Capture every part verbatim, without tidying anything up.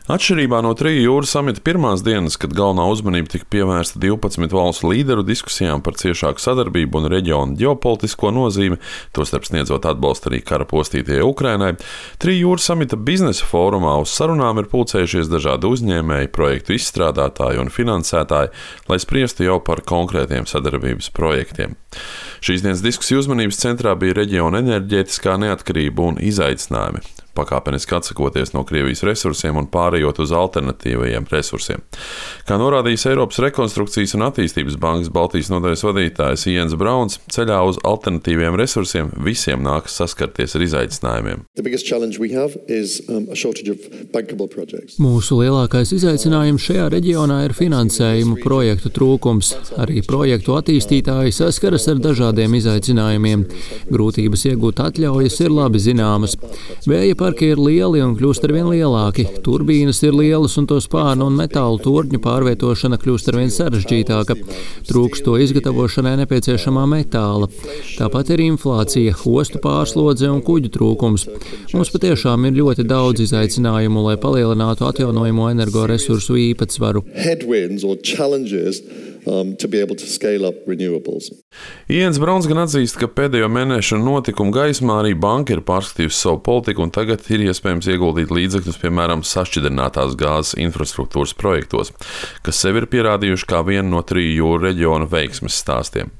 Atšķirībā no Triju jūru samita pirmās dienas, kad galvenā uzmanība tika pievērsta divpadsmit valstu līderu diskusijām par ciešāku sadarbību un reģionu ģeopolitisko nozīmi, tostarp sniedzot atbalstu arī kara postītajai Ukrainai, Triju jūru samita biznesa fórumā uz sarunām ir pulcējušies dažādi uzņēmēji, projektu izstrādātāji un finansētāji, lai spriestu jau par konkrētiem sadarbības projektiem. Šīs dienas diskusiju uzmanības centrā bija reģiona enerģētiskā neatkarība un izaicinājumi, pakāpeniski atsakoties no Krievijas resursiem un pārējot uz alternatīvajiem resursiem. Kā norādījis Eiropas Rekonstrukcijas un attīstības bankas Baltijas nodaļas vadītājs Jens Brauns, ceļā uz alternatīviem resursiem visiem nākas saskarties ar izaicinājumiem. Is, um, Mūsu lielākais izaicinājums šajā reģionā ir finansējumu projektu trūkums. Arī projektu attīstītāji saskaras ar dažādiem izaicinājumiem. Grūtības iegūt atļaujas ir labi zināmas. Vēja parki ir lieli un kļūst arvien lielāki. Turbīnas ir lielas un to spārnu un metālu torņu pārvietošana kļūst arvien sarežģītāka. Trūkst to izgatavošanai nepieciešamā metāla. Tāpat ir inflācija, ostu pārslodze un kuģu trūkums. Mums patiešām ir ļoti daudz izaicinājumu, lai palielinātu atjaunojamo energoresursu īpatsvaru. Um, Jens Brauns gan atzīst, ka pēdējo mēnešu notikumu gaismā arī banka ir pārskatījusi savu politiku un tagad ir iespējams ieguldīt līdzekļus, piemēram, sašķidrinātās gāzes infrastruktūras projektos, kas sevi ir pierādījuši kā vienu no Triju jūru reģiona veiksmes stāstiem.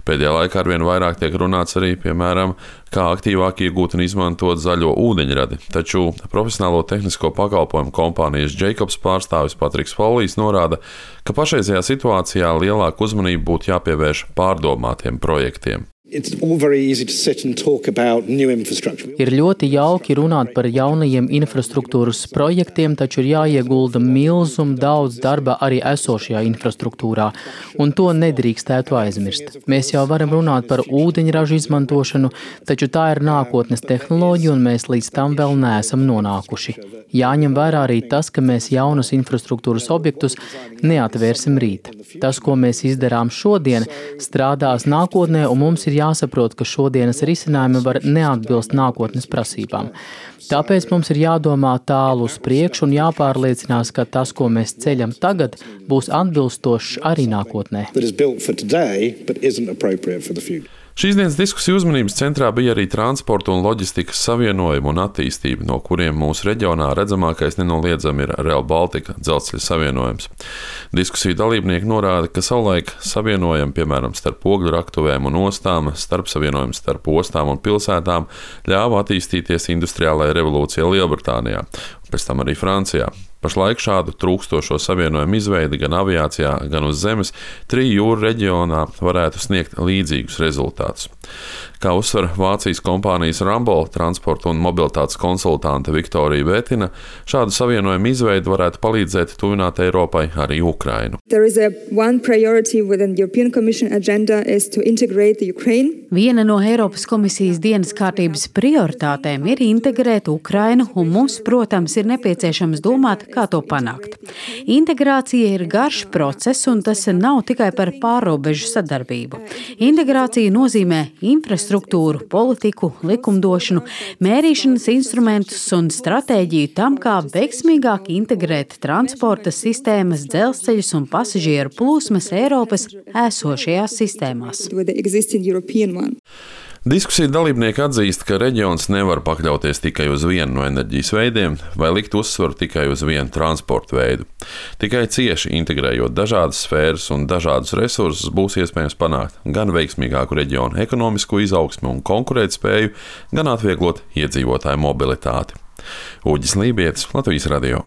Pēdējā laikā arvien vairāk tiek runāts arī, piemēram, kā aktīvāk iegūt un izmantot zaļo ūdeņradi, taču profesionālo tehnisko pakalpojumu kompānijas Jacobs pārstāvis Patriks Follijs norāda, ka pašreizajā situācijā lielāku uzmanību būtu jāpievērš pārdomātiem projektiem. Ir ļoti jauki runāt par jaunajiem infrastruktūras projektiem, taču ir jāiegulda milzum daudz darba arī esošajā infrastruktūrā, un to nedrīkstētu aizmirst. Mēs jau varam runāt par ūdeņražu izmantošanu, taču tā ir nākotnes tehnoloģija, un mēs līdz tam vēl neesam nonākuši. Jāņem vērā arī tas, ka mēs jaunus infrastruktūras objektus neatvērsim rīt. Tas, ko mēs izdarām šodien, strādās nākotnē, un mums ir jāsaprot, ka šodienas risinājumi var neatbilst nākotnes prasībām. Tāpēc mums ir jādomā tālu uz priekšu un jāpārliecinās, ka tas, ko mēs ceļam tagad, būs atbilstošs arī nākotnē. Šīs dienas diskusiju uzmanības centrā bija arī transporta un loģistikas savienojuma un attīstība, no kuriem mūsu reģionā redzamākais nenoliedzami ir Rail Baltica dzelzceļa savienojums. Diskusiju dalībnieki norāda, ka savulaik savienojumi, piemēram, starp ogļu raktuvēm un ostām, starp savienojumi starp ostām un pilsētām ļāva attīstīties industriālajai revolūcijai Lielbritānijā, un pēc tam arī Francijā. Pašlaik šādu trūkstošo savienojumu izveidi gan aviācijā, gan uz zemes Triju jūru reģionā varētu sniegt līdzīgus rezultātus. Kā uzsver Vācijas kompānijas Rambo transporta un mobilitātes konsultante Viktorija Vētina, šādu savienojumu izveidi varētu palīdzēt tuvināt Eiropai arī Ukrainu. Viena no Eiropas komisijas dienas kārtības prioritātēm ir integrēt Ukrainu, un mums, protams, ir nepieciešams domāt, kā to panākt. Integrācija ir garš process, un tas nav tikai par pārrobežu sadarbību. Integrācija nozīmē infrastruktūru, politiku, likumdošanu, mērīšanas instrumentus un stratēģiju tam, kā veiksmīgāk integrēt transporta sistēmas, dzelzceļus un pasažieru plūsmas Eiropas esošajās sistēmās. Diskusiju dalībnieki atzīst, ka reģions nevar pakļauties tikai uz vienu no enerģijas veidiem vai likt uzsvaru tikai uz vienu transportu veidu. Tikai cieši integrējot dažādas sfēras un dažādus resursus būs iespējams panākt gan veiksmīgāku reģionu ekonomisko izaugsmi un konkurētspēju, gan atvieglot iedzīvotāju mobilitāti. Uģis Lībietis, Latvijas radio.